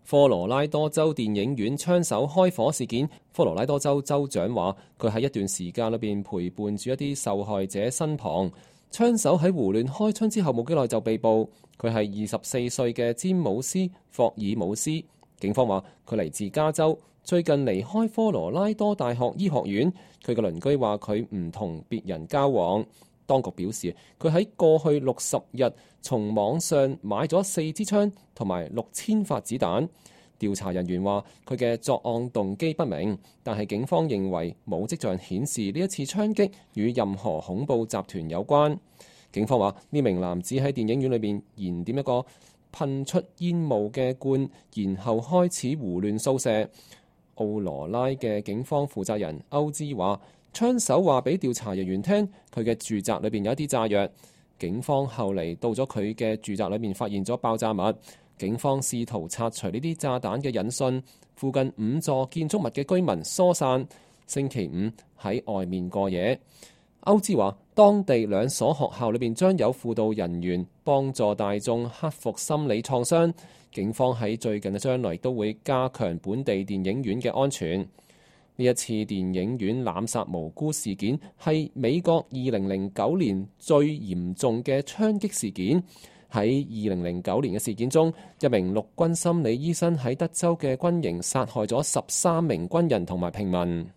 科羅拉多州電影院槍手開火事件，科羅拉多州州長話佢喺一段時間裏邊陪伴住一啲受害者身旁。槍手喺胡亂開槍之後冇幾耐就被捕，佢係24歲嘅詹姆斯·霍爾姆斯。警方話佢嚟自加州，最近離開科羅拉多大學醫學院。佢嘅鄰居話佢唔同別人交往。當局表示佢喺過去60日從網上買咗4支槍同埋6000發子彈。調查人員話佢嘅作案動機不明，但係警方認為冇跡象顯示呢一次槍擊與任何恐怖集團有關。警方話呢名男子喺電影院裏面燃點一個噴出煙霧嘅罐，然後開始胡亂掃射。奧羅拉嘅警方負責人歐茲話，槍手話俾調查人員聽，佢嘅住宅裏邊有一啲炸藥。警方後嚟到咗佢嘅住宅裏面，發現咗爆炸物。警方試圖拆除呢啲炸彈嘅引信。附近5座建築物嘅居民疏散，星期5喺外面過夜。歐茲話，當地2所學校裏邊將有輔導人員幫助大眾克服心理創傷。警方喺最近嘅將來都會加強本地電影院嘅安全。呢一次電影院濫殺無辜事件係美國2009年最嚴重嘅槍擊事件。喺2009年嘅事件中，一名陸軍心理醫生喺德州嘅軍營殺害咗13名軍人同埋平民。